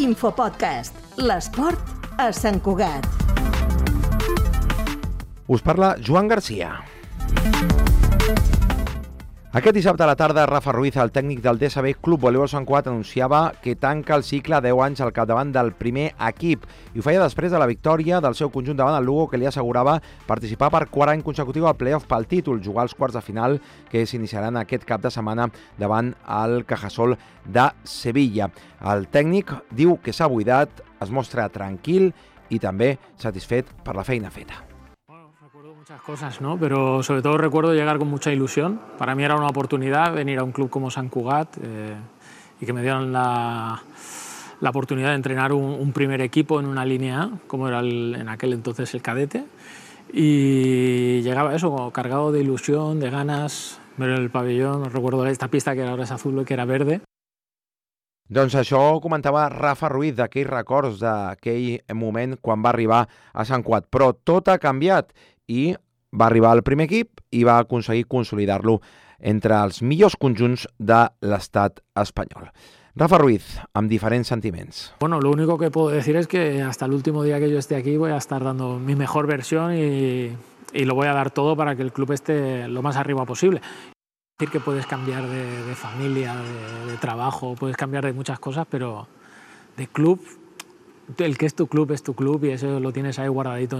Infopodcast. L'esport a Sant Cugat. Us parla Joan Garcia. Aquest dissabte a la tarda, Rafa Ruiz, el tècnic del DSB Club Voleibol Sant Cugat, anunciava que tanca el cicle 10 anys al capdavant del primer equip i ho feia després de la victòria del seu conjunt davant el Lugo, que li assegurava participar per quart any consecutiu al play-off pel títol, jugar als quarts de final que s'iniciaran aquest cap de setmana davant el Cajasol de Sevilla. El tècnic diu que s'ha buidat, es mostra tranquil i també satisfet per la feina feta. Muchas cosas, ¿no? Pero sobre todo recuerdo llegar con mucha ilusión. Para mí era una oportunidad venir a un club como Sant Cugat y que me dieran la oportunidad de entrenar un primer equipo en una línea A, como era en aquel entonces el cadete. Y llegaba eso, cargado de ilusión, de ganas, ver el pabellón. Recuerdo esta pista que ahora es azul y que era verde. Doncs això comentava Rafa Ruiz, d'aquells records d'aquell moment quan va arribar a Sant Cugat. Però tot ha canviat i va arribar al primer equip i va aconseguir consolidar-lo entre els millors conjunts de l'estat espanyol. Rafa Ruiz, amb diferents sentiments. Bueno, lo único que puedo decir es que hasta el último día que yo esté aquí voy a estar dando mi mejor versión y lo voy a dar todo para que el club esté lo más arriba posible. Decir que puedes cambiar de familia, de trabajo, puedes cambiar de muchas cosas, pero de club, el que es tu club y eso lo tienes ahí guardadito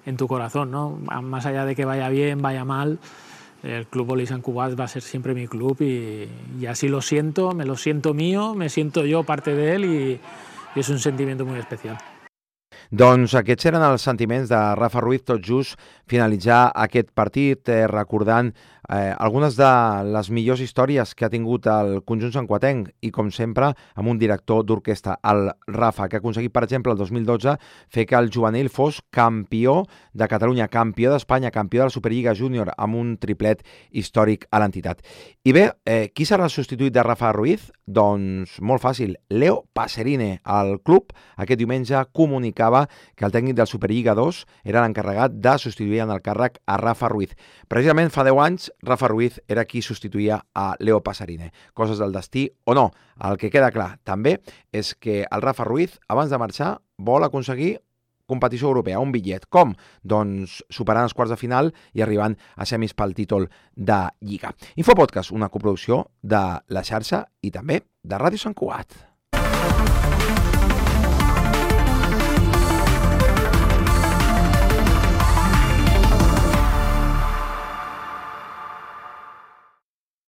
en tu corazón, ¿no? Más allá de que vaya bien, vaya mal, el Club Voleibol Sant Cugat va a ser siempre mi club y así lo siento, me lo siento mío, me siento yo parte de él y es un sentimiento muy especial. Doncs aquests eren els sentiments de Rafa Ruiz, tot just finalitzar aquest partit, recordant algunes de les millors històries que ha tingut el conjunt santcuatenc i, com sempre, amb un director d'orquestra, el Rafa, que ha aconseguit, per exemple, el 2012 fer que el juvenil fos campió de Catalunya, campió d'Espanya, campió de la Superliga Júnior, amb un triplet històric a l'entitat. I bé, qui serà el substitut de Rafa Ruiz? Doncs molt fàcil, Leo Paserine. El club aquest diumenge comunicava que el tècnic del Superliga 2 era l'encarregat de substituir en el càrrec a Rafa Ruiz. Precisament fa 10 anys Rafa Ruiz era qui substituïa a Leo Paserine. Coses del destí o no. El que queda clar també és que el Rafa Ruiz, abans de marxar, vol aconseguir competició europea, un bitllet. Com? Doncs superant els quarts de final i arribant a semis pel títol de Lliga. Infopodcast, una coproducció de La Xarxa i també de Ràdio Sant Cugat.